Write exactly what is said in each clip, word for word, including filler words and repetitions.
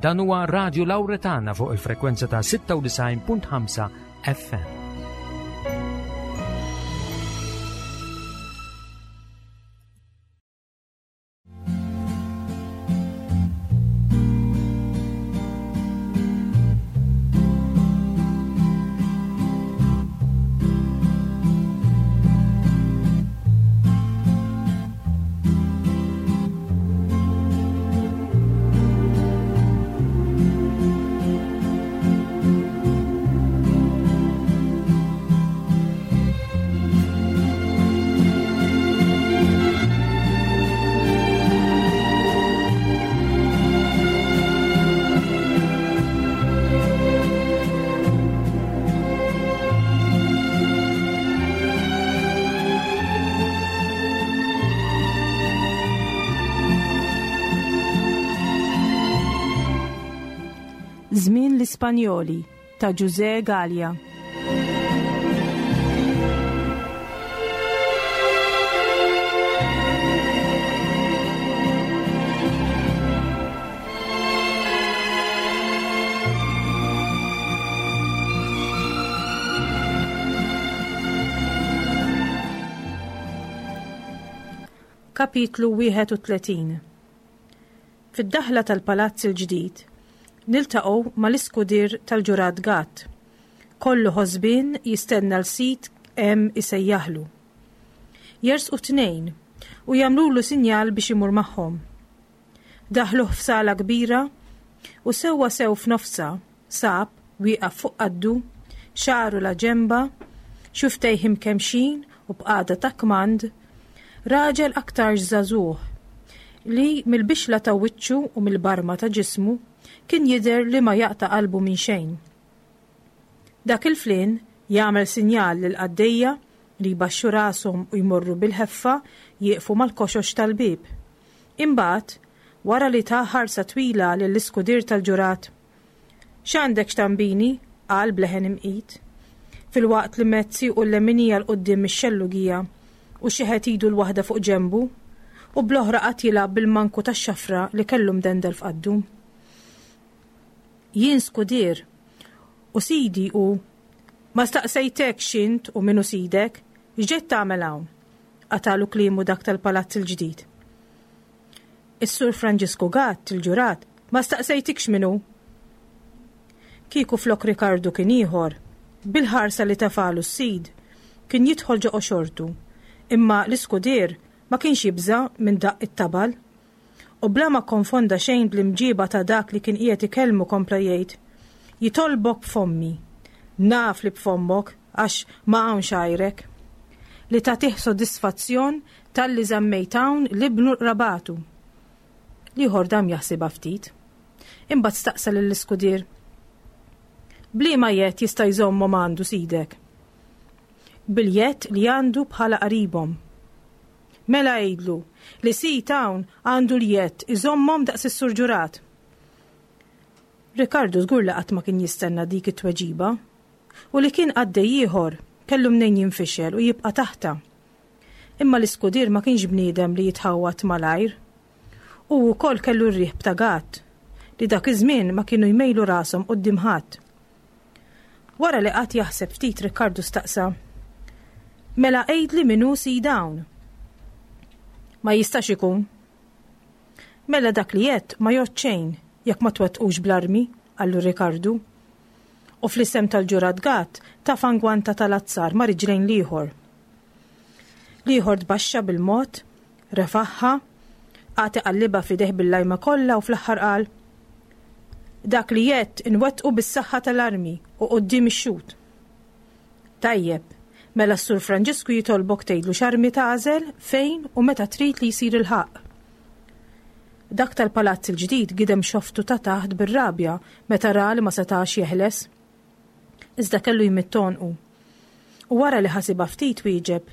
Dan huwa Radio Lauretana fuq il-frekwenza ta' sitta u disgħin punt ħamsa F M. Żmien l-Ispanjoli ta' Ġużè Galea. Kapitlu wieħed u tletin. Fid-daħla tal-Palazz il-ġdid, niltaqgħu mal-iskudir tal-ġurat Gatt. Kollu ħosbin jistenna l-sid hemm isejjaħlu. Jersqu tnejn u jagħmlulu sinjal biex imur magħhom. Daħluh f'sala kbira u sewwa sew f'nofsa sab wieqaf fuq qaddu, xagħru la ġemba, xufftejh imkemmxin u b'qagħda ta' kmand, raġel aktar żagħżugħ li mill-bixla ta' wiċċu u mill-barma ta' ġismu kien jidher li ma jaqta' qalbu minn xejn. Dak il-flin jagħmel sinjal lil qaddejja li jbaxxu rashom u jmorru bil-ħeffa jieqfu mal-koxox tal-bib. Imbagħad, wara li ta ħarsa twila lill-iskudir tal-ġurat, "X'għandek x'tambini?" qal bleħen imqit. Filwaqt li medd siequ l-leminija 'l quddiem ix-xellugija u xeħet idu l-waħda fuq ġembu u bl-oħra qagħad jilgħab bil-manku tax-xafra li kellu mdendel f'qaddu. "Jien skudir u sidi u ma staqsejtek x'int u min hu sidek, x'ġejt tagħmel hawn?" Qatagħlu kliemu dak tal-Palazz il-ġdid. "Is-Sur Franġisku Gatt, il-ġurat, ma staqsejtikx min hu." Kieku flok Rikardu kien ieħor, bil-ħarsa li tefalu s-sid, kien jidħol ġo xortu, imma l-iskudir ma kienx jibża minn daqq it-tabal. U bla ma konfonda xejn bl-imġiba ta' dak li kien qiegħed ikellmu kompla jgħid: "Jitolbok b'fommi. Naf li b'fommok għax ma hawnx għajrek. Li tagħtih sodisfazzjon talli żammejt hawn 'l ibnu qrabatu." L-ieħor dam jaħsibha ftit. Imbagħad staqsa lill-iskudir: "B'liema jedd jista' jżommhom għandu sidek?" "Bil-jedd li għandu bħala qaribhom." "Mela għidlu li sid hawn għandu l-jedd iżommhom daqs is-Sur Ġurat." Rikardu żgur li qatt ma kien jistenna dik it-tweġiba u li kien qaddej ieħor kellu mnejn jinfixel u jibqa' taħta. Imma l-iskudir ma kienx bniedem li jitħawat malajr. U wkoll kellu r-riħ ta' Gatt li dak iż-żmien ma kienu jmejlu rashom quddiem ħadd. Wara li qagħad jaħseb ftit, Rikkardu staqsa: "Mela għidli min hu sid hawn." "Ma jistax ikun." "Mela dak li jett ma jgħod xejn jekk ma twettqux bl-armi," qallu Rikardu. U fl-isem tal-ġurat Gatt tefa' ngwanta tal-azzar ma' riġlejn l-ieħor. L-ieħor tbaxxa bil-mod, refaħħa, qagħad iqallibha f'idejh bil-lajma kollha u fl-aħħar qal: "Dak li jett inwettqu bis-saħħa tal-armi u quddiem ix-xhud." "Tajjeb, mela s-Sur Franġisku jitolbok tgħidlu x'armi tagħżel, fejn u meta trid li jsir il-ħaqq." Dak tal-Palazz il-ġdid gidem xoftu ta' taħt bir-rabja meta ra li ma setax jeħles. Iżda kellu jmidd għonqu. U wara li ħasibha ftit wieġeb: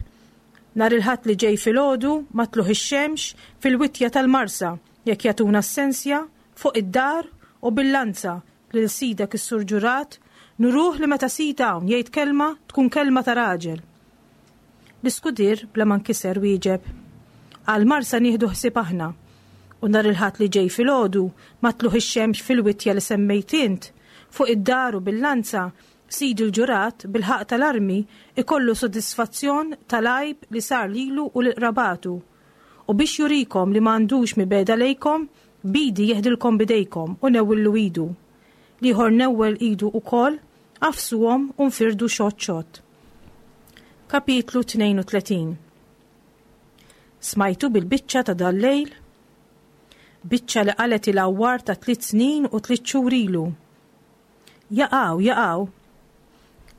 "Nhar il-Ħadd li ġej filgħodu ma' tlugħ ix-xemx fil-witja tal-Marsa, jekk jagħtuna s-sensja, fuq id-dar u bil-lanza lil sidek is-Sur Ġurat nuruh li meta sid hawn jgħid kelma tkun kelma ta' raġel." L-iskudir bla ma nkiser wieġeb: "Għal Marsa nieħdu ħsieb aħna. U nhar il-Ħadd li ġej filgħodu, ma' tlugħ ix-xemx fil-witja li semmejt int, fuq id-dar u bil-lanza, sidi l-ġurat bil-ħaqq tal-armi ikollu sodisfazzjon tal-għajb li sar lilu u lil qrabatu. U biex jurikom li m'għandux mibegħda lejkom, bidi jeħdilkom bidejkom u newwillu idu. L-ieħor newwel idu ukoll, għafsuhom u nfirdu xott xott. Kapitlu tnejn u tletin. Smajtu bil-biċċa ta' dal-lejl? Biċċa li qalet il-għawwar ta' tliet snin u tliet xhur ilu. Jaqaw, jaqaw.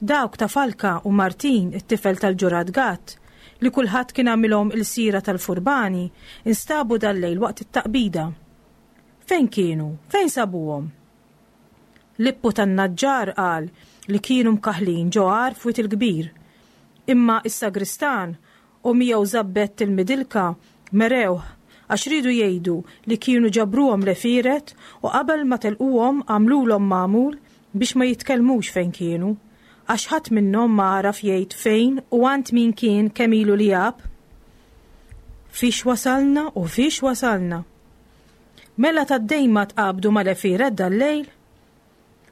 Dawk ta' Falka u Martin, it-tifel tal-ġurat Gatt, li kulħadd kien għamilhom il-sira tal-furbani, instabu dal-lejl waqt it-taqbida. Fejn kienu? Fejn sabuhom? Lippu tan-naġġar qal li kienu mkaħlin ġo għar f'Wied il-Kbir. Imma is-sagristan u miegħu Żabbett il-Midilka merewh għax riedu jgħidu li kienu ġabruhom l-għefieret u qabel ma telquhom għamlulhom magħmul biex ma jitkellmux fejn kienu, għax ħadd minnhom ma għaraf jgħid fejn u għand min kien kemm ilu li għab. Fiex wasalna u fiex wasalna? Mela tad-dejma tqabdu mal-għefieret dal-lejl?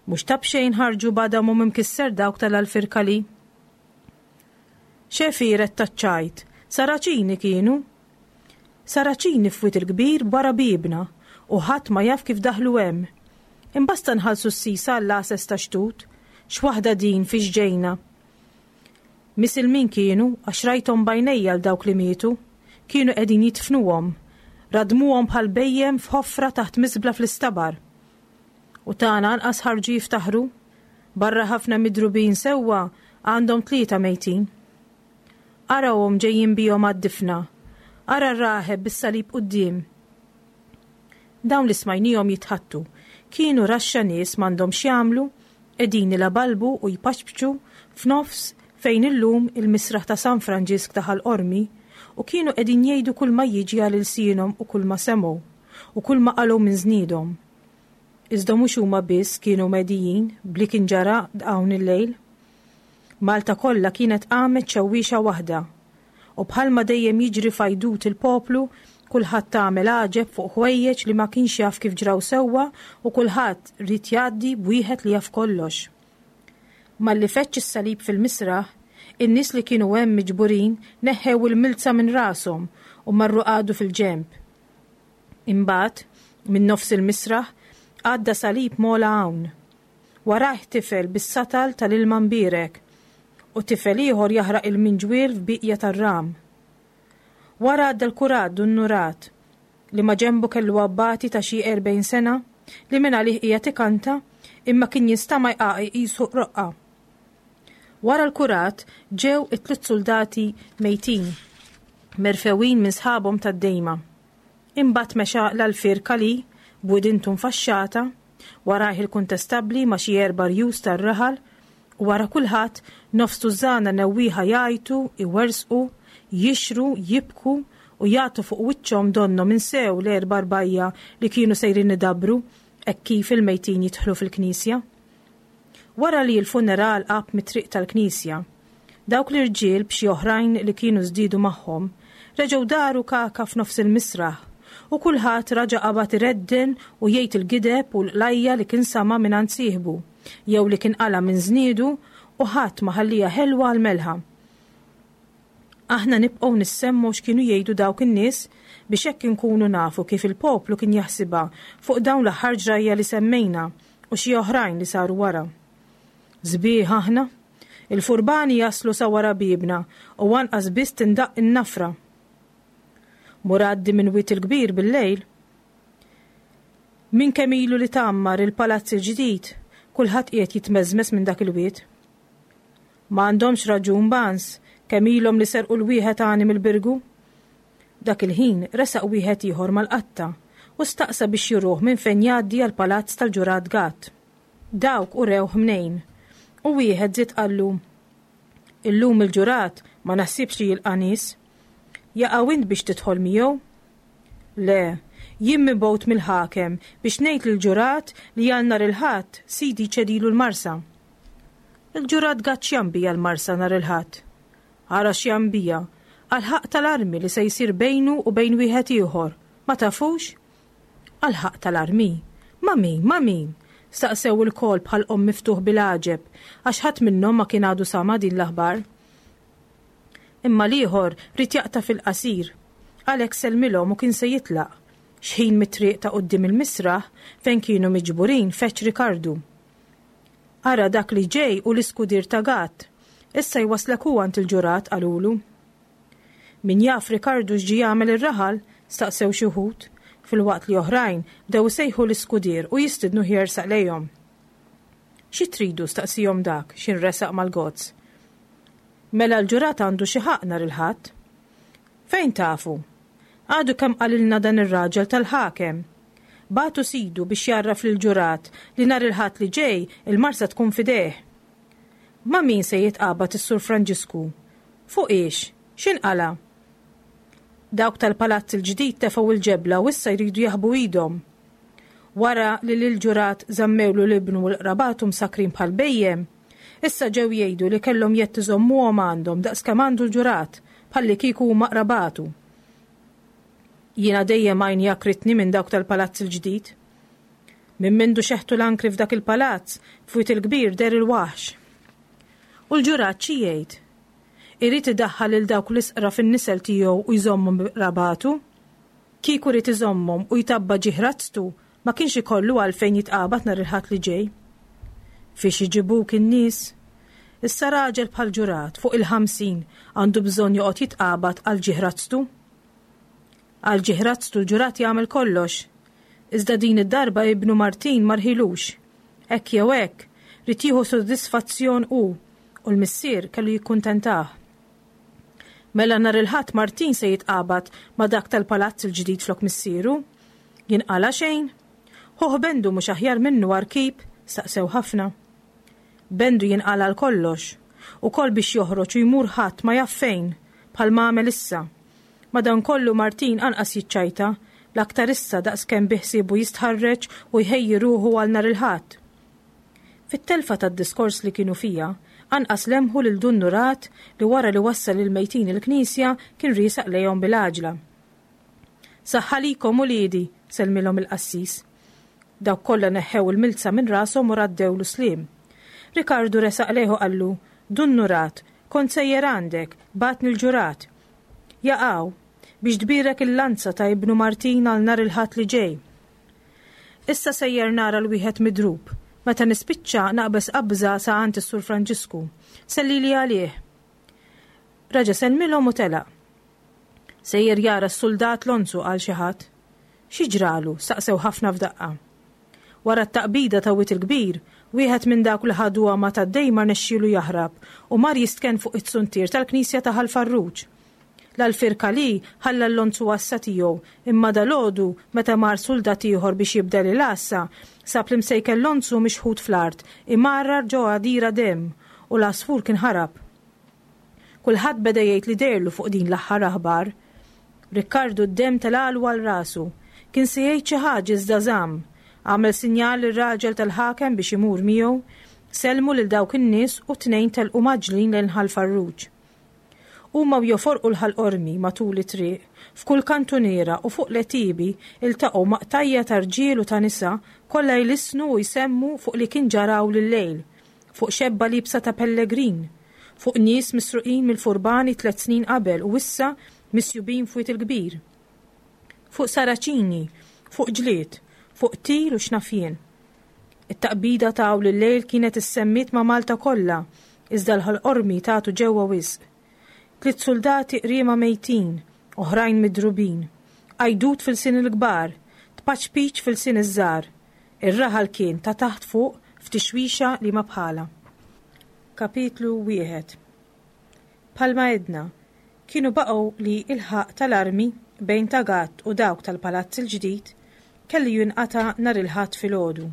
Mhux ta' b'xejn ħarġu b'għadamhom imkisser dawk tal-Alfirkali. X'għefieret taċ-ċajt, Saraċini kienu. Saraċini f'Wied il-Kbir wara bibna u ħadd ma jaf kif daħlu hemm. Imbasta nħallsu s-sisa għall-għases ta' xtut, x'waħda din fiex ġejna. Misilmin kienu għax rajthom b'għajnejja 'l dawk li mietu, kienu qegħdin jidfnuhom, radmuhom bħal bhejjem f'ħofra taħt miżbla fl-istabar. U tagħna anqas ħarġu jiftaħru, barra ħafna midrubin sewwa għandhom tlieta mejtin. Arawhom ġejjin bihom għad-difna, ara r-raħeb bis-salib quddiem. Dawn li smajnihom jitħaddtu, kienu raxxa nies m'għandhom x'jagħmlu, qegħdin ilabalbu u jpaċpċu f'nofs fejn illum il-misraħ ta' San Franġisk ta' Ħal Qormi u kienu qegħdin jgħidu kull ma jiġi għal ilsienhom u kull ma semgħu u kull ma qalgħu minn żniedhom. Iżda mhux huma biss kienu medijin bli kien ġara hawn il-lejl. Malta kollha kienet qamet xewwiexa waħda u bħalma dejjem jiġri f'għajdut il-poplu, kulħadd għamel għaġeb fuq ħwejjeġ li ma kienx jaf kif ġraw sewwa u kulħadd ried jgħaddi b'wieħed li jaf kollox. Malli feċċ is-salib fil-misraħ, in-nies li kienu hemm miġburin neħħew il-milza minn rashom u marru qagħdu fil-ġenb. Imbagħad, minn nofs il-misraħ, għadda salib m'ogħla hawn. Warajh tifel bis-satal tal-ilma mbierek u tifel ieħor jaħraq il-minġwiel f'bieqja tar-ram. Wara għadda l-kurat Dun Nurat li ma ġembu kellu abbati ta' xi erbgħin sena li minn għalih qiegħed ikanta imma kien jinstama' jqaqi qisu roqqa. Wara l-kurat ġew it-tliet soldati mejtin, merfewin minn sħabhom tad-dejma. Imbagħad mexa l-Alfir Kali b'widintu mfaxxata, warajh il-kuntestabbli ma' xi erba' rjus tar-raħal u wara kulħadd nofs tużżana newwieħa jgħajtu, iwersqu, jixru, jibku u jagħtu fuq wiċċhom donnhom insew l-erba' rbajja li kienu sejrin idabru hekk kif il-mejtin jidħlu fil-knisja. Wara li l-funeral qab mit-triq tal-knisja, dawk l-irġiel b'xi oħrajn li kienu żdiedu magħhom reġgħu daru kaka f'nofs il-misraħ u kulħadd raġa' qabad iredden u jgħid il-gideb u l-qlajja li kien sama' mingħand sieħbu jew li kien qala' minn żniedu u ħadd ma ħallija ħelwa għal melħa. Aħna nibqgħu nissemmu x'kienu jgħidu dawk in-nies biex hekk inkunu nafu kif il-poplu kien jaħsibha fuq dawn l-aħħar ġrajja li semmejna u xi oħrajn li saru wara. Sbieħ aħna, il-furbani jaslu sa wara bibna u anqas biss tindaq in-nafra. Mur għaddi minn Wied il-Kbir bil-lejl. Minn kemm ilu li tgħammar il-palazz il-ġdid, kulħadd qiegħed jitmeżmeż minn dak il-wied. Ma għandhomx raġun bans kemm ilhom li serqu l-wieħed għani mill-Birgu. Dak il-ħin resaq wieħed ieħor mal-qatta u staqsa biex juruh minn fejn jgħaddi għall-palazz tal-ġurat Gatt. Dawk urewh mnejn u wieħed żied qallu: Illum il-ġurat ma naħsibx li jilqa' nies. Jaqaw int biex tidħol miegħu? Le, jien mibgħut mill-ħakem biex ngħid lill-ġurat li għal nhar il-Ħadd sidi ċedilu l-Marsa. Il-ġurat Gatt x'jambija l-Marsa nhar il-Ħadd? Ara x'jambija, għal ħaqq tal-armi li se jsir bejnu u bejn wieħed ieħor. Ma tafux? Għall-ħaqq tal-armi. Ma' min, ma' min? Staqsew ilkoll b'ħalqhom miftuħ bil-għaġeb, għax ħadd minnhom ma kien għadu sama' din l-aħbar. Imma l-ieħor ried jaqta' fil-qasir. Għalhekk sellmilhom u kien se jitlaq. Xħin mit-triq ta' quddiem il-misraħ fejn kienu miġburin feġġ Rikardu. Ara dak li ġej hu l-iskudier ta' Gatt. Issa jwasslek hu għand il-ġurat, qalulu. Min jaf Rikardu x'ġie jagħmel ir-raħal? staqsew xi wħud, filwaqt li oħrajn bdew isejħu l-iskudier u jistidnuh jersaq lejhom. Xi tridu? staqsihom dak, x'ħin resaq mal-gozz. Mela l-ġurat għandu xi ħaqq nhar il-Ħadd? Fejn tafu? Għadu kemm qalilna dan ir-raġel tal-ħakem. Bagħtu sidu biex jgħarraf lill-ġurat li nhar il-Ħadd li ġej il-marsa tkun f'idejh. Ma' min se jitqabad is-Sur Franġisku? Fuq iex? X'inqala'? Dawk tal-palazz il-ġdid tefgħu l-ġebla u issa jridu jaħbu idhom. Wara li lill-ġurat żammewlu l-ibnu u l-qrabatu msakkrin bħal bhejjem, issa ġew jgħidu li kellhom jedd iżommuhom għandhom daqskemm għandu l-ġurat, bħallikieku huma qrabatu. Jiena dejjem għajni għakritni minn dawk tal-palazz il-ġdid. Minn mindu xeħtu l-ankri f'dak il-palazz, f'Wied il-Kbir deher il-waħx. U l-ġurat xi jgħid? Irid idaħħal lil dawk l-isqra fin-nisel tiegħu u jżommhom bi qrabatu? Kieku ried iżommhom u jtabba' ġieħ razztu, ma kienx ikollu għalfejn jitqabad nhar il-Ħadd li ġej. Fiex iġibuk in-nies? Issa raġel bħal ġurat, fuq il-ħamsin, għandu bżonn joqgħod jitqabad għal ġieħ razztu? Għal ġieħ razztu l-ġurat jagħmel kollox. Iżda din id-darba ibnu Martin ma rħilux. Hekk jew hekk, ried jieħu sodisfazzjon hu, u l-missier kellu jikkuntentah. Mela nhar il-Ħadd Martin se jitqabad ma' dak tal-palazz il-ġdid flok missieru? Jinqala' xejn? Ħuh Bendu mhux aħjar minnu għar-rkib? Staqsew ħafna. Bendu jinqala' għal kollox. Ukoll biex joħroġ u jmur ħadd ma jaf fejn, bħal ma għamel issa. Madankollu Martin anqas jiċċajta, l-aktar issa daqskemm biħsiebu jistħarreġ u jħejji ruħu għal nhar il-Ħadd. Fit-telfa tad-diskors li kienu fiha, anqas lemħu lil Dun Nurat li wara li wassal lill-mejtin il-knisja kien riesaq lejhom bil-għaġla. Saħħa likom uliedi, sellmilhom il-qassis. Dawk kollha neħħew il-milza minn rashom u raddewlu sliem. Rikardu resaq lejh u qallu, Dun Nurat, kont sejjer għandek, bagħatni l-ġurat. Jaqaw, biex tbierek il-lanza ta' ibnu Martin għal nhar il-Ħadd li ġej. Issa sejjer nara l-wieħed midrub. Meta nispiċċa naqbeż qabża sa għand is-Sur Franġisku. Sellili għalih. Raġa' sellmilhom u telaq. Sejjer jara s-suldat Lonzu qal xi ħadd. Xi ġralu? staqsew ħafna f'daqqa. Wara t-taqbida ta' Wied il-Kbir, wieħed minn dawk li ħaduha ma' Taddej ma rnexxielu jaħrab u mar jistkenn fuq it-suntier tal-knisja ta' Ħal Farruġ. L-Alfier Calì ħalla l-lonzu għassa tiegħu imma dalgħodu meta mar suldat ieħor biex jibdel il-għassa, sab l-imsejken lonzu mixħut fl-art imarrar ġo għadira demm u l-għasfur kien ħarab. Kulħadd beda jgħid li dehrlu fuq din l-aħħar aħbar. Rikkardu d-demm telgħalu għal rasu. Kien se jgħid xi ħaġa iżda żamm. Għamel sinjal lir-raġel tal-ħakem biex imur miegħu, sellmu lil dawk in-nies u t-tnejn telqu mgħaġġlin lejn Ħal Farruġ. Huma u joforqu l-Ħal Qormi matul it-triq, f'kull kantuniera u fuq l-għetiebi iltaqgħu ma' qtajja' ta' rġiel u ta' nisa kollha jlissnu u jsemmu fuq li kien ġara hawn l-lejl, fuq xebba liebsa ta' pellegrin, fuq nies misruqin mill-furbani tliet snin qabel u issa misjubin f'Wied il-Kbir, fuq Saraċini, fuq ġlied, fuq qtil u x'naf jien. It-taqbida ta' hawn l-lejl kienet issemmiet ma' Malta kollha, iżda l-Ħal Qormi tagħtu ġewwa wisq. Tliet suldati qriema mejtin, oħrajn midrubin. Għajdut f'ilsien il-kbar, tpaċpiċ f'ilsien iż-żgħar. Ir-raħal kien ta' taħt fuq f'tixwixa li ma bħalha. Kapitlu wieħed Bħalma għedna, kienu baqgħu li l-ħaqq tal-armi bejn ta' Gatt u dawk tal-Palazz il-Ġdid kellu jinqata' nhar il-Ħadd filgħodu.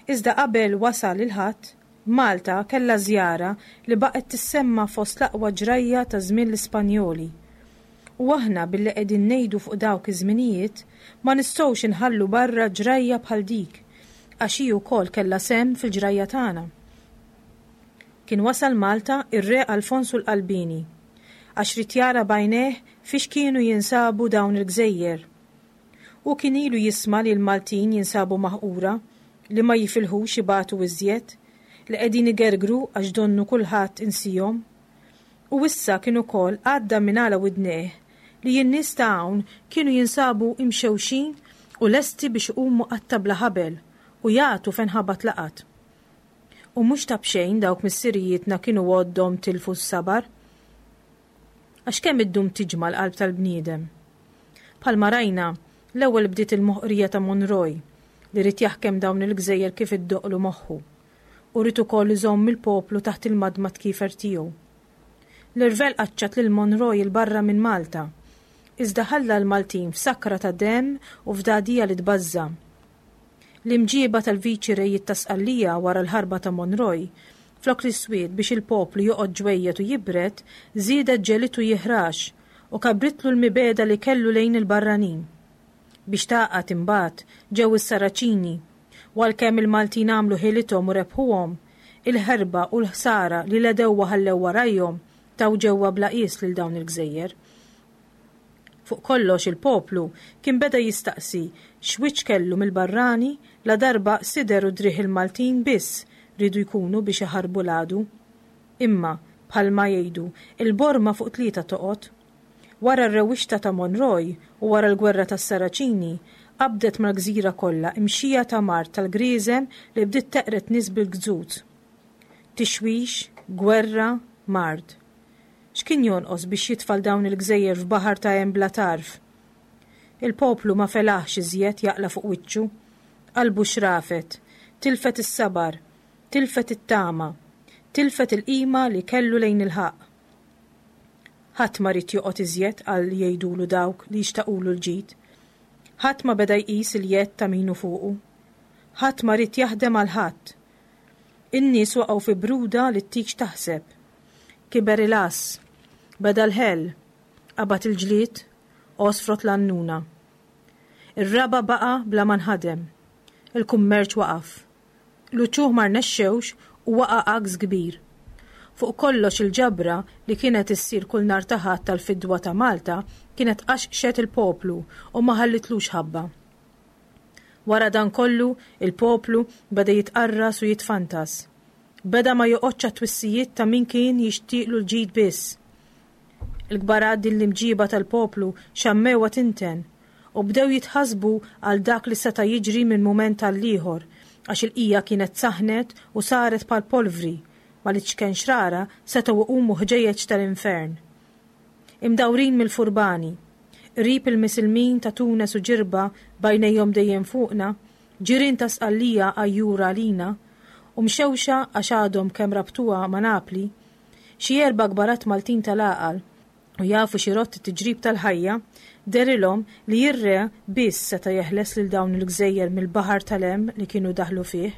Iżda qabel wasal il-Ħadd, Malta kellha żjara li baqgħet tissemma fost l-aqwa ġrajja ta' żmien l-Ispanjoli. U aħna billi qegħdin ngħidu fuq dawk iż-żminijiet ma nistgħux inħallu barra ġrajja bħal dik, għax hi wkoll kellha sehem fil-ġrajja tagħna. Kien wasal Malta ir-Re Alfonsu l-Qalbieni, għax ried jara b'għajnejh fiex kienu jinsabu dawn il-gżejjer. Hu kien ilu jisma' li l-Maltin jinsabu maħqura, li ma jifilħux ibatu iżjed, li qegħdin igergru għax donnu kulħadd insihom. U issa kien ukoll għadda minn għala widnejh li n-nies ta' hawn kienu jinsabu imxewxin u lesti biex iqumu qatta bla ħabel u jagħtu fejn ħabat laqat. U mhux ta' b'xejn dawk missirijietna kienu għoddhom tilfu s-sabar. Għax kemm iddum tiġma' l-qalb tal-bniedem. Bħalma rajna, l-ewwel bdiet il-moħqrija ta' Monroy li ried jaħkem dawn il-gżejjer kif iddoqqlu moħħu u ried ukoll iżomm il-poplu taħt il-madmad kiefer tiegħu. L-irvell qaċċat lil Monroy 'il barra minn Malta, iżda ħalla l-Maltin f'sakra ta' demm u f'dagħdigħa li tbażża'. L-imġieba tal-viċi rejiet ta' Sqallija wara l-ħarba ta' Monroy, flok li swiet biex il-poplu joqgħod ġwejjed u jibred, żiedet ġegħlitu jiħrax u kabritlu l-mibegħda li kellu lejn il-barranin. Biex tgħaqqad imbagħad ġew is-Saraċini, u għalkemm il-Maltin għamlu ħilithom u rebħuhom, il-ħerba u l-ħsara li l-għedewwa ħallew warajhom taw ġewwa bla qies lil dawn il-gżejjer. Fuq kollox il-poplu kien beda jistaqsi x'wiċċ kellu mill-barrani ladarba sider u driegħ il-Maltin biss riedu jkunu biex iħarbu l-għadu. Imma, bħalma jgħidu, il-borma fuq tlieta toqgħod. Wara r-rewwixta ta' Monroy u wara l-gwerra tas-Saraċini, qabdet mal-gżira kollha imxija ta' mard tal-grieżem li bdiet teqred nies bil-gzuz. Tixwix, gwerra, mard. X'kien jonqos biex jitfal dawn il-gżejjer f'baħar ta' hemm bla tarf? Il-poplu ma felaħx iżjed jaqla' fuq wiċċu. Qalbu xrafet, tilfet is-sabar, tilfet it-tama, tilfet il-qima li kellu lejn il-ħaqq. Ħadd ma ried joqgħod iżjed għal jgħidulu dawk li jixtaqulu l-ġid. Ħadd ma beda jqis il-jedd ta' min hu fuqu. Ħadd ma ried jaħdem għal ħadd. In-nies waqgħu fi bruda li ttik x'taħseb. Kiber il-għażż, beda l-ħell, qabad il-ġlied, għosfrot l-għannuna. Ir-raba' baqa' bla ma nħadem. Il-kummerċ waqaf. L-uċuħ ma rnexxewx u waqa' għaks kbir. Fuq kollox il-ġabra li kienet issir kull nhar ta' Ħadd tal-fidwa ta' Malta kienet qaxqxet il-poplu u ma ħallitlux ħabba. Wara dan kollu, il-poplu beda jitqarras u jitfantas. Beda ma joqgħodx għat-twissijiet ta' min kien jixtieqlu l-ġid biss. Il-kbarat din l-imġiba tal-poplu xammewha tinten u bdew jitħassbu għal dak li seta' jiġri minn mument għall-ieħor għax il-qija kienet saħnet u saret bħal polvri ma li ċken xrara setgħu iqumu ħġejjeġ tal-infern. Imdawrin mill-furbani, qrib il-misilmin ta' Tunes u Ġirba b'għajnejhom dejjem fuqna, ġirien ta' Sqallija għajjura għalina, u mxewxa għax għadhom kemm rabtuha ma' Napli, xi erba' kbarat Maltin tal-għaqal u jafu xi rott it-tiġrib tal-ħajja, dehrilhom li r-re biss seta' jeħles lil dawn il-gżejjer mill-baħar tal-hemm li kienu daħlu fih,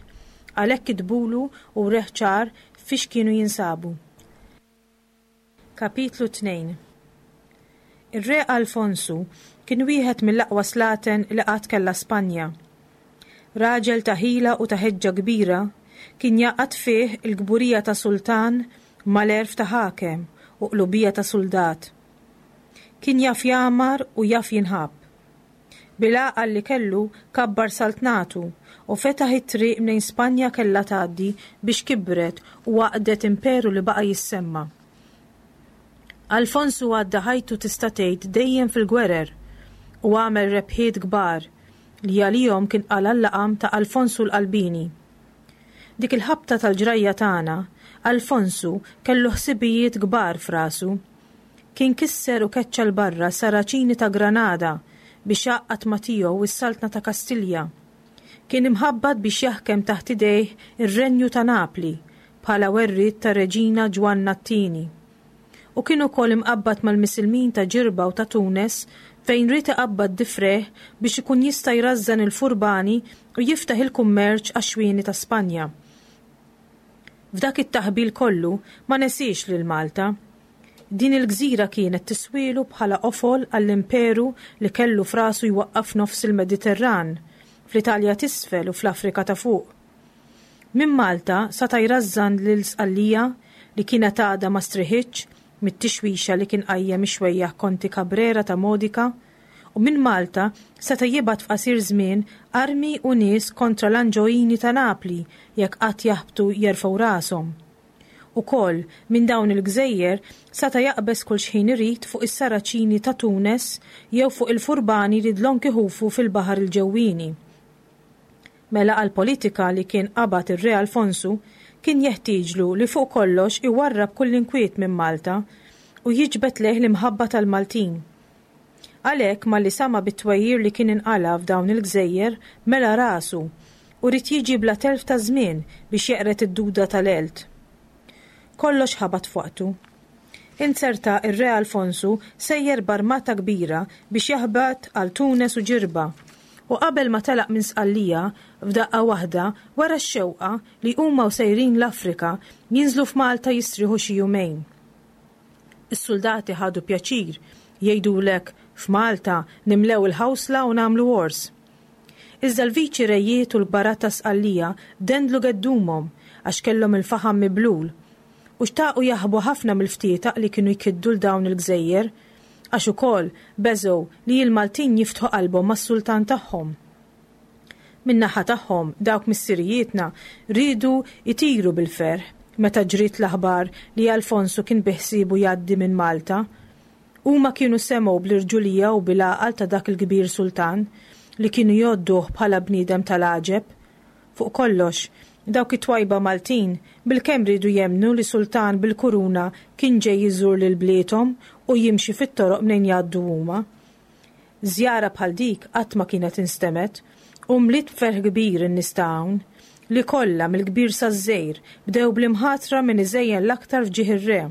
għalhekk kitbulu u wreh ċar fiex kienu jinsabu. Kapitlu tnejn. Ir-re Alfonsu kien wieħed mill-aqwa slaten li qatt kellha Spanja. Raġel ta' ħila u ta' ħeġġa kbira, kien jgħaqqad fih il-kburija ta' sultan mal-għerf ta' ħakem u qlubija ta' suldat. Kien jaf jagħmar u jaf jinħabb. Bil-għaqal li kellu kabbar saltnatu u fetaħ it-triq mnejn Spanja kellha tgħaddi biex kibret u għaqdet imperu li baqa' jissemma. Alfonsu għadda ħajtu tista' tgħid dejjem fil-gwerer u għamel rebħiet kbar li għalihom kien qala' l-laqam ta' Alfonsu l-Qalbini. Dik il-ħabta tal-ġrajja tagħna, Alfonsu kellu ħsibijiet kbar f'rasu. Kien kisser u keċċa 'l barra Saraċini ta' Granada biex għaqqad ma' tiegħu s-saltna ta' Kastilja. Kien imħabbat biex jaħkem taħt idejh ir-renju ta' Napli bħala werriet ta' Reġina Ġwanna t-Tieni. U kien ukoll imqabbad mal-Misilmin ta' Ġirba u ta' Tunes fejn ried iqabbad difrejh biex ikun jista' jrażżan il-furbani u jiftaħ il-kummerċ għax-xwieni ta' Spanja. F'dak it-taħbil kollu ma nesiex lil Malta. Din il-gżira kienet tiswielu bħala qofol għall-imperu li kellu f'rasu jwaqqaf nofs il-Mediterran, fl-Italja t'isfel u fl-Afrika ta' fuq. Minn Malta sata' jrażżan lil Sqallija li kienet għadha ma striħitx mit-tixwixa li kien qajjem ix-xwejjaħ Konti Cabrera ta' Modica u minn Malta seta' jibgħat f'qasir żmien armi u nies kontra l-Anġoini ta' Napli jekk qatt jaħbtu jerfgħu rashom. Ukoll, minn dawn il-gżejjer seta' jaqbeż kull xħin irid fuq is-Saraċini ta' Tunes jew fuq il-furbani li dlonk iħufu fil-Baħar il-Ġewwieni. Mela għall-politika li kien qabad ir-Re Alfonsu kien jeħtieġlu li fuq kollox iwarrab kull inkwiet minn Malta u jiġbed lejh l-imħabba tal-Maltin. Għalhekk malli sama' bit-twajjir li kien inqala' f'dawn il-gżejjer mela rasu u ried jiġi bla telf ta' żmien biex jeqred id-duda tal-għelt. Kollox ħabat f'waqtu. Inzerta r-Re Alfonsu sejjer b'armata kbira biex jaħbat għal Tunes u Ġirba, u qabel ma telaq minn Sqallija, f'daqqa waħda wera x-xewqa li huma u sejrin l-Afrika jinżlu f'Malta jistrieħu xi jumejn. Is-suldati ħadu pjaċir jgħidulek f'Malta nimlew il-ħawsla u nagħmlu għors. Iżda l-viċi rejiet u l-kbarat ta' Sqallija dendlu geddumhom għax kellhom il-faħam miblul u xtaqu jaħbu ħafna mill-ftietaq li kienu jkiddu 'l dawn il-gżejjer għax ukoll beżgħu li l-Maltin jiftħu qalbhom mas-sultan tagħhom. Min-naħa tagħhom dawk missirijietna riedu jtiru bil-ferħ meta ġriet l-aħbar li Alfonsu kien biħsiebu jgħaddi minn Malta. Huma kienu semgħu bl-irġulija u bil-għaqal ta' dak il-kbir sultan li kienu jgħodduh bħala bniedem tal-għaġeb. Fuq kollox, dawk it-twajba Maltin bilkemm riedu jemmnu li sultan bil-kuruna kien ġej iżur lil bliethom u jimxi fit-toroq mnejn jgħaddu huma. Żjara bħal dik qatt ma kienet instemgħet u mliet b'ferħ kbir in-nies ta' hawn, li kollha mill-kbir saż-żgħir bdew bl-imħatra min iżejjen l-aktar f'ġieħ ir-re.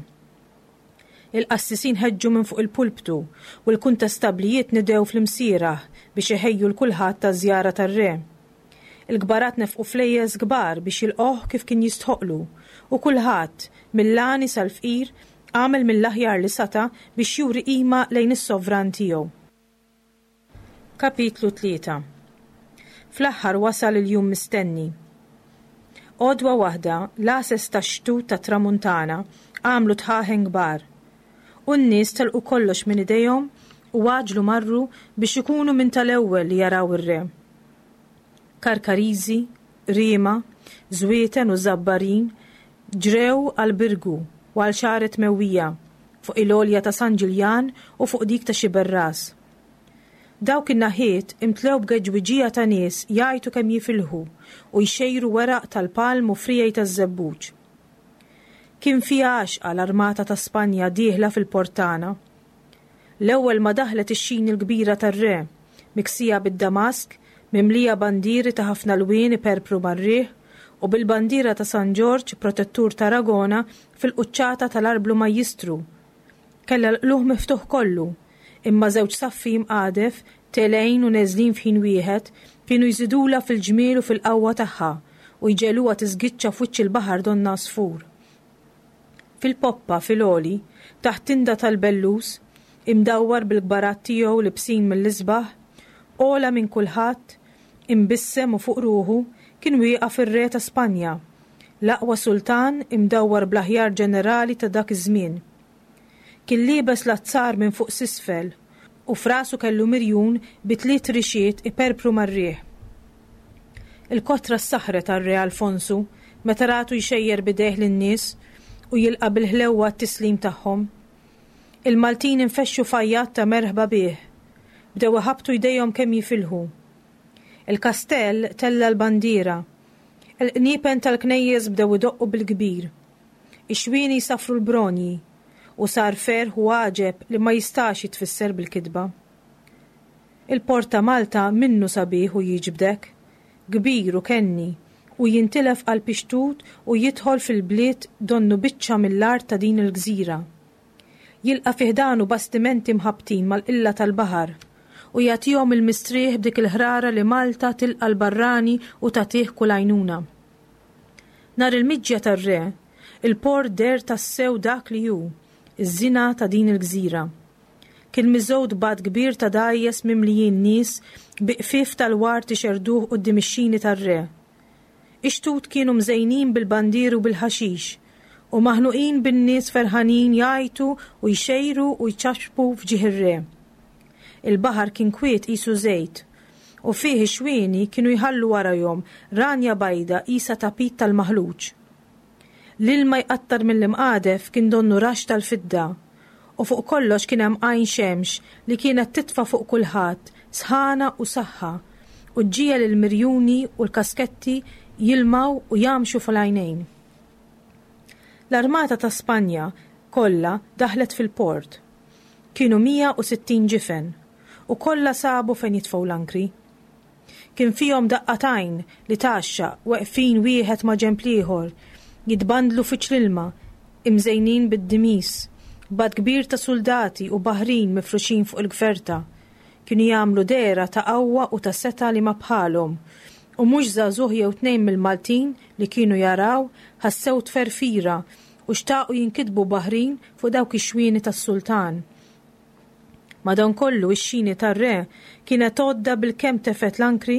Il-qassisin ħeġġu minn fuq il-pulptu u l-kuntestablijiet nidew fl-imsieraħ biex iħejju 'l kulħadd għaż-żjara tar-re. Il-kbarat nefqu flejjes kbar biex jilqgħuh kif kien jistħoqlu u kulħadd, mill-għani sal-fqir, għamel mill-aħjar li sata' biex juri qima lejn is-sovran tiegħu. Kapitlu tlieta. Fl-aħħar wasal il-jum mistenni. Għodwa waħda, l-għases tax-xtut tat-tramuntana għamlu dħaħen kbar. U n-nies telqu kollox minn idejhom u għaġlu marru biex ikunu minn tal-ewwel li jaraw ir-re. Karkariżi, Qriema, Żwieten u Żabbarin ġrew għall-Birgu u għal Xagħret Mewwija, fuq il-għolja ta' San Ġiljan u fuq dik ta' Xiberras. Dawk in-naħiet imtlew b'geġwiġija ta' nies jgħajtu kemm jifilħu u jxejru weraq tal-palm u friegħi taż-żebbuġ. Kien fiha għaxqa l-armata ta' Spanja dieħla fil-port tagħna. L-ewwel ma daħlet ix-xini l-kbira tar-re, miksija bid-damask, mimlija bandieri ta' ħafna lwien iperpru mar-riħ, u bil-bandiera ta' San Ġorġ, protettur t'Aragona, fil-quċċata tal-arblu majjistru. Kellha l-qlugħ miftuħ kollu, imma żewġ saffi mqadef, telgħin u neżlin f'ħin wieħed, kienu jżidulha fil-ġmiel u fil-qawwa tagħha u jġegħluha tiżgiċċa f'wiċċ il-baħar donnha għasfur. Fil-poppa, fil-għoli, taħt tinda tal-bellus, imdawwar bil-kbarat tiegħu libsin mill-isbaħ, ogħla minn kulħadd, imbissem u fuq ruħu, kien wieqaf ir-re ta' Spanja, l-aqwa sultan imdawwar bl-aħjar ġenerali ta' dak iż-żmien. Kien liebes l-azzar minn fuq s'isfel u f'rasu kellu mirjun bi tliet rixiet iperpru mar-riħ. Il-kotra ssaħħret għar-Re Alfonsu meta ratu jxejjer b'idejh lin-nies u jilqa' bil-ħlewwa t-tislim tagħhom. Il-Maltin infexxu f'għajjat ta' merħba bih. Bdew iħabbtu jdejhom kemm jifilħu. Il-kastell tella' l-bandiera. Il-qniepen tal-knejjes bdew idoqqu bil-kbir. Ix-xwieni jsaffru l-bronji. U sar ferħ u għaġeb li ma jistax jitfisser bil-kitba. Il-port ta' Malta minnu sabiħ u jiġbdek, kbir u kenni, u jintilef qalb ix-xtut u jidħol fil-bliet donnu biċċa mill-art ta' din il-gżira. Jilqa' fi ħdanu bastimenti mħabbtin mal-qilla tal-baħar u jagħtihom il-mistrieħ b'dik il-ħrara li Malta tilqa' l-barrani u tagħtih kull għajnuna. Nhar il-miġja tar-re, il-port deher tassew dak li hu, iż-żina ta' din il-gżira. Kien miżgħud b'għadd kbir ta' dgħajjes mimlijin nies bi qfief tal-ward ixerrduh quddiem ix-xini tar-re. Ix-xtut kienu mżejnin bil-bandieri u bil-ħaxix, u maħnuqin bin-nies ferħanin jgħajtu u jxejru u jċapċpu f'ġieħ ir-re. Il-baħar kien kwiet qisu żejt, u fih ix-xwieni kienu jħallu warajhom ranja bajda qisha tapit tal-maħluġ. L-ilma jqattar mill-imqadef kien donnu raxx tal-fidda, u fuq kollox kien hemm għajn xemx li kienet titfa' fuq kulħadd sħana u saħħa u ġġiegħel il-mirjuni u l-kasketti jilmaw u jgħammxu fl-għajnejn. L-armata ta' Spanja kollha daħlet fil-port. Kienu mija u sittin ġifen u kollha sabu fejn jitfgħu l-ankri. Kien fihom daqqa t'għajn li tgħaxxaq weqfin wieħed ma' ġenb l-ieħor, jitbandlu fiċ l-ilma, imżejnin bid-dimis, b'għadd kbir ta' suldati u baħrin mifruxin fuq il-gverta. Kienu jagħmlu dehra ta' qawwa u ta' setgħa li ma bħalhom, u mhux żagħżugħ jew tnejn mill-Maltin li kienu jaraw ħassew tferfira u xtaqu jinkitbu baħrin fuq dawk ix-xwieni tas-sultan. Madankollu ix-xini tar-re kienet għodda bilkemm tefgħet l-ankri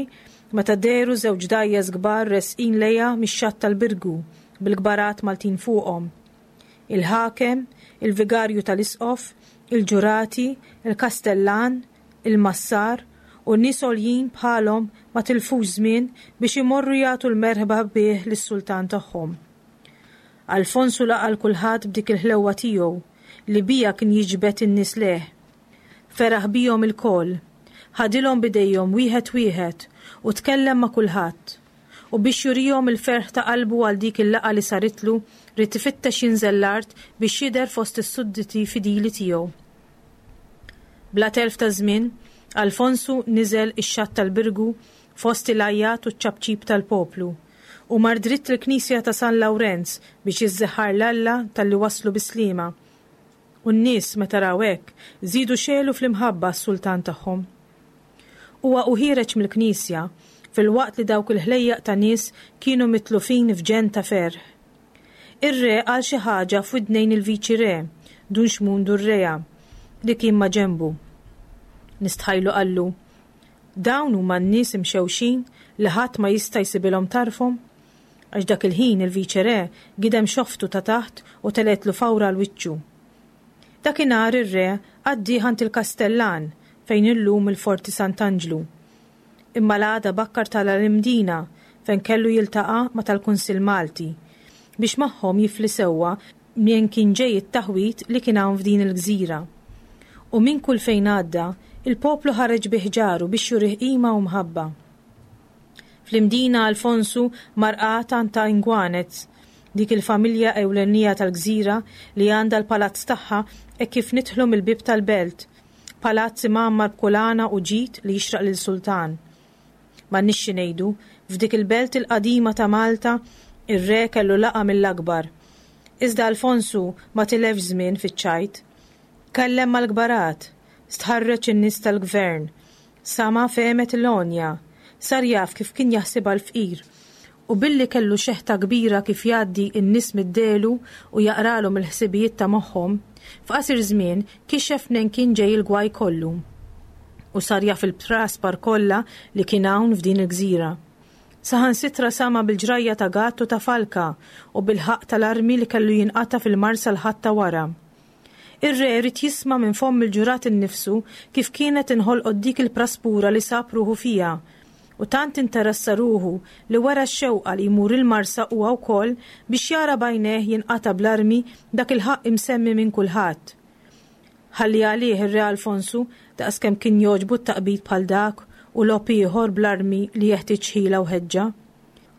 meta dehru żewġ dgħajjes kbar resqin lejha mix-xatt tal-Birgu bil-kbarat Maltin fuqhom. Il-ħakem, il-vigarju tal-isqof, il-ġurati, il-kastellan, il-massar u n-nies għoljin bħalhom ma tilfux żmien biex imorru jagħtu l-merħba bih lis-sultan tagħhom. Alfonsu laqa' 'l kulħadd b'dik il-ħlewwa tiegħu li bija kien jiġbed in-nies lejh. Feraħ bihom ilkoll, ħadilhom b'idejhom wieħed wieħed u tkellem ma' kulħadd. U biex jurihom il-ferħ ta' qalbu għal dik il-laqgħa li saritlu, ried ifittex jinżel l-art biex jidher fost is-sudditi fidili tiegħu. Bla telf ta' żmien, Alfonsu niżel ix-xatt tal-Birgu fost il-għajjat u ċ-ċapċip tal-poplu u mar dritt il-knisja ta' San Lawrenz biex jiżżeħħar 'l Alla talli waslu bis-sliema. U n-nies meta raw hekk żiedu xegħlu fl-imħabba għas-sultan tagħhom. Huwa u ħiereġ mill-knisja filwaqt li dawk il-ħlejjaq ta' nies kienu mitlufin f'ġenn ta' ferħ. Ir-re qal xi ħaġa f'widnejn il-viċi re, Dun Xmun Durrea, li kien ma' ġenbu. Nistħajlu qallu, Dawn huma n-nies imxewxin li ħadd ma jista' jsibilhom tarfhom? Għax dak il-ħin il-viċi re gidem xoftu ta' taħt u telgħetlu fawra għal wiċċu. Dakinhar ir-re għaddieh għand il-kastellan fejn illum il-Forti Sant'Anġlu. Imma l-għada bakkar tala' l-Imdina fejn kellu jiltaqa' ma' tal-Kunsill Malti biex magħhom jifli sewwa minn kien ġej it-taħwid li kien hawn f'din il-gżira. U minn kull fejn għadda, il-poplu ħareġ bi ħġaru biex jurih qima u mħabba. Fl-Imdina Alfonsu mar qagħad għand ta' Ingwanez, dik il-familja ewlenija tal-gżira li għandha l-palazz tagħha hekk kif nidħlu mill-bieb tal-belt, palazz imgħammar b'kulana u ġid li jixraq lil sultan. M'għandniex xi ngħidu, f'dik il-belt il-qadima ta' Malta, ir-re kellu laqgħa mill-akbar. Iżda Alfonsu ma tilefx żmien fiċ-ċajt. Kellem mal-kbarat, stħarreġ in-nies tal-gvern, sama fehmet l-għonja, sar jaf kif kien jaħsibha l-fqir, u billi kellu xeħta kbira kif jgħaddi n-nies mid-delu u jaqralhom il-ħsibijiet ta' moħħhom, f'qasir żmien kixef mnejn kien ġej il-gwaj kollu. U sar jaf il-praspar kollha li kien hawn f'din il-gżira. Saħansitra sama bil-ġrajja ta' Gatt u ta' Falka u bil-ħaqq tal-armi li kellu jinqata' fil-Marsa l-Ħadd ta' wara. Ir-re ried jisma' minn fomm il-ġurat innifsu kif kienet inħolqot dik il-praspura li sab ruħu fiha, u tant interessa ruħu li wera x-xewqa li jmur il-Marsa huwa wkoll biex jara b'għajnejh jinqata' bl-armi dak il-ħaqq imsemmi minn kulħadd. Ħalli għalih ir-re Alfonsu daqskemm kien jogħġbu t-taqbid bħal dak u logħob ieħor bl-armi li jeħtieġ ħila u ħeġġa.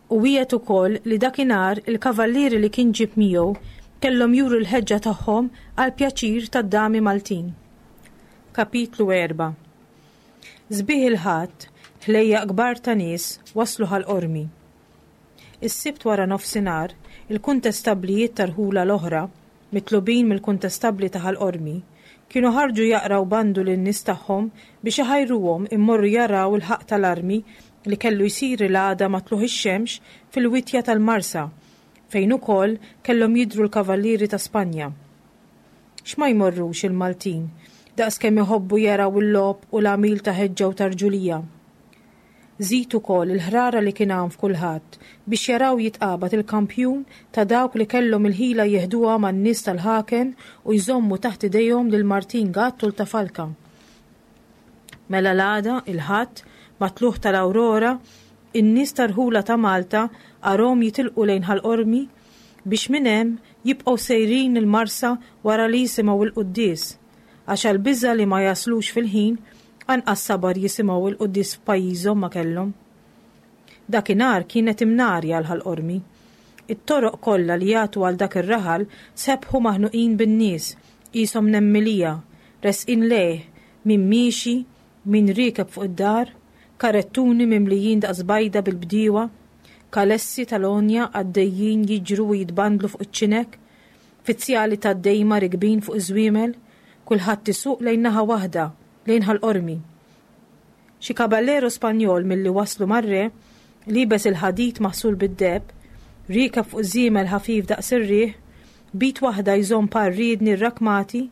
U wiegħed ukoll li dakinhar il-kavallieri li kien ġieb miegħu kellhom juru l-ħeġġa tagħhom għall-pjaċir tad-dami Maltin. Kapitlu erbgħa. Sbieħ il-Ħadd, ħlejjaq kbar ta' nies waslu Ħal Qormi. Is-Sibt wara nofsinhar, il-kuntestabblijiet tar-rħula l-oħra, mitlubin mill-kuntestabbli ta' Ħal Qormi, kienu ħarġu jaqraw bandu lin-nies tagħhom biex iħajruhom immorru jaraw il-ħaqq tal-armi li kellu jsir il-għada ma' tlugħ ix-xemx fil-witja tal-Marsa, fejn ukoll kellhom jidhru l-kavallieri ta' Spanja. X'ma jmorrux il-Maltin, daqskemm iħobbu jaraw il-logħob u l-għamil ta' ħeġġa u ta' rġulija. Żid ukoll il-ħrara li kien hawn f'kulħadd biex jaraw jitqabad il-kampjun ta' dawk li kellhom il-ħila jeħduha man-nies tal-ħaken u jżommu taħt idejhom lil Martin Gatt u l-ta' Falka. Mela l-għada, il-Ħadd, mat-tlugħ tal-Awrora, in-nies tar-rħula ta' Malta arahom jitilqu lejn Ħal Qormi biex minn hemm jibqgħu sejrin il-Marsa wara li jisimgħu il-quddies, għax għall-biża' li ma jaslux fil-ħin anqas sabar jisimgħu il-quddies f'pajjiżhom ma kellhom. Dakinhar kienet imnarja l-Ħal Qormi. It-toroq kollha li jagħtu għal dak ir-raħal sebħu maħnuqin bin-nies, qishom nemmilija, resqin lejh, min miexi, min riekeb fuq id-dar, karettuni mimlijin daqs bajda bil-bdiewa, kalessi tal-għonja għaddejjin jiġru u jitbandlu fuq iċ-ċinek, fizzjali tad-dejma rikbin fuq iż-żwiemel, kulħadd isuq lejn naħa waħda, lejn Ħal Qormi. Xi kaballero Spanjol milli waslu mar-re, liebes il-ħadid maħsul bid-deheb, riekeb fuq żiemel ħafif daqs ir-riħ, b'id waħda jżomm par riedni rrakmati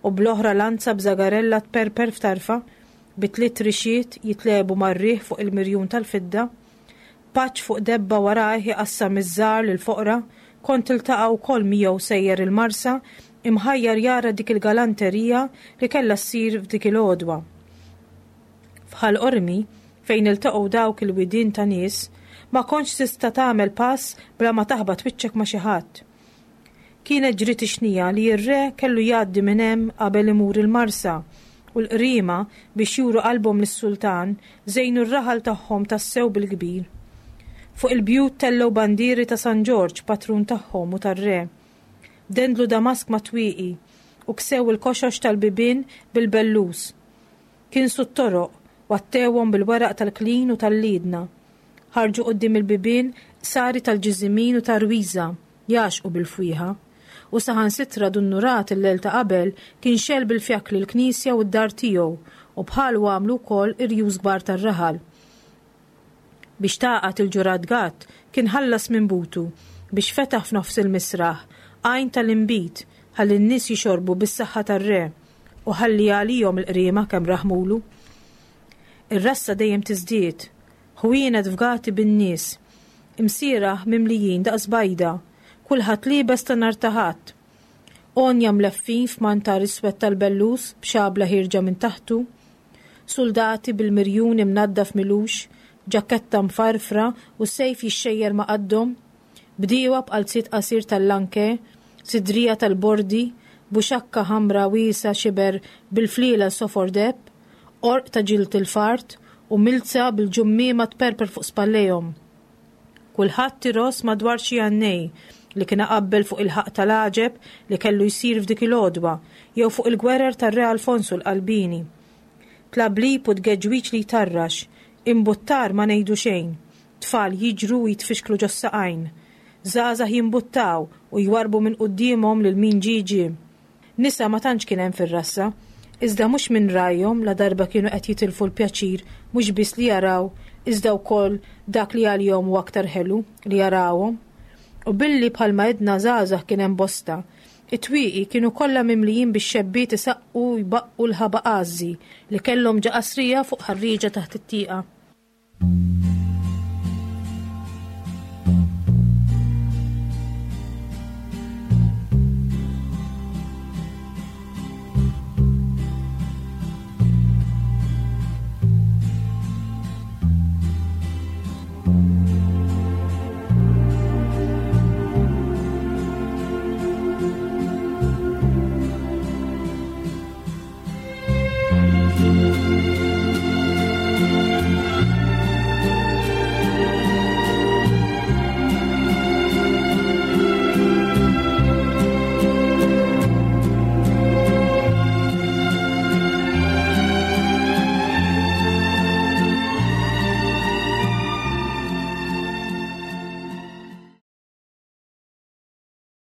u bl-oħra lanza b'żagarella tperper f'tarfa, bi tliet rixiet jitlegħbu mar-riħ fuq il-mirjun tal-fidda, paġġ fuq debba warajh iqassam iż-żgħar lill-foqra, kont tiltaqa' wkoll miegħu sejjer il-Marsa imħajjar jara dik il-galanterija li kellha ssir f'dik il-għodwa. F'Ħal Qormi, fejn iltaqgħu dawk il-widien ta' nies, ma kontx tista' tagħmel pass bla ma taħbat wiċċek ma' xi ħadd. Kienet ġriet ix-xnija li r-re kellu jgħaddi minn hemm qabel imur il-Marsa, u l-qriema biex juru qalbhom lis-sultan żejnu r-raħal tagħhom tassew bil-kbir. Fuq il-bjut tellgħu bandieri ta' San Ġorġ, patrun tagħhom u tar-re. Dendlu damask ma' twieqi u ksew il-koxox tal-bibien bil-bellus. Kinsu t-toroq, wattewhom bil-weraq tal-klin u tal-liedna. Ħarġu quddiem il-bibien qsari tal-ġiżimin u tar-rwiża, jgħaxxqu bil-fwieħa. U saħansitra Dun Nurat il-lejl ta' qabel kien xegħel bil-fjakli l-knisja u d-dar tiegħu u bħalu għamlu wkoll irjus kbar tar-raħal. Biex tagħqad il-ġurat Gatt kien ħallas minn butu biex fetaħ f'nofs il-misraħ għajn tal-inbid ħalli n-nies jixorbu bis-saħħa tar-re u ħalli għalihom il-qriema kemm raħmulu. Ir-rassa dejjem tiżdied, ħwienet fgati bin-nies, imsieraħ mimlijin daqs bajda, kulħadd liebes ta' nhar ta' Ħadd. Għonja mleffin f'mantar iswed tal-bellus b'xabla ħierġa minn taħtu, suldati bil-mirjun imnaddaf milux, ġaketta mfarfra u sejf jixxejjer ma' qaddhom, bdiewa b'qalziet qasir tal-lanke, sidrija tal-bordi, buxakka ħamra wiesgħa xiber bil-fliela sofor deheb, qorq ta' ġild il-fart u milza bil-ġummiema tperper fuq spallejhom. Kulħadd iross madwar xi għannej li kien qabbel fuq il-ħaqq tal-għaġeb li kellu jsir f'dik il-għodwa jew fuq il-gwerer tar-Re Alfonsu l-Qalbini. Tlablib u tgeġwiġ li jtarrax, imbuttar ma ngħidu xejn, tfal jiġru u jitfixklu ġos-saqajn, żgħażagħ jimbuttaw u jwarrbu minn quddiemhom lil min ġie ġie. Nisa ma tantx kien hemm fir-rassa, iżda mhux minn rajhom la darba kienu qed jitilfu l-pjaċir mhux biss li jaraw iżda wkoll dak li għalihom hu aktar ħelu li jarawhom. U billi bħalma għedna żgħażagħ kien hemm bosta, it-twieqi kienu kollha mimlijin bix-xebbiet isaqqu jbaqqu l-ħabaqażżi li kellhom ġa qasrija fuq ħarrieġa taħt it-tieqa.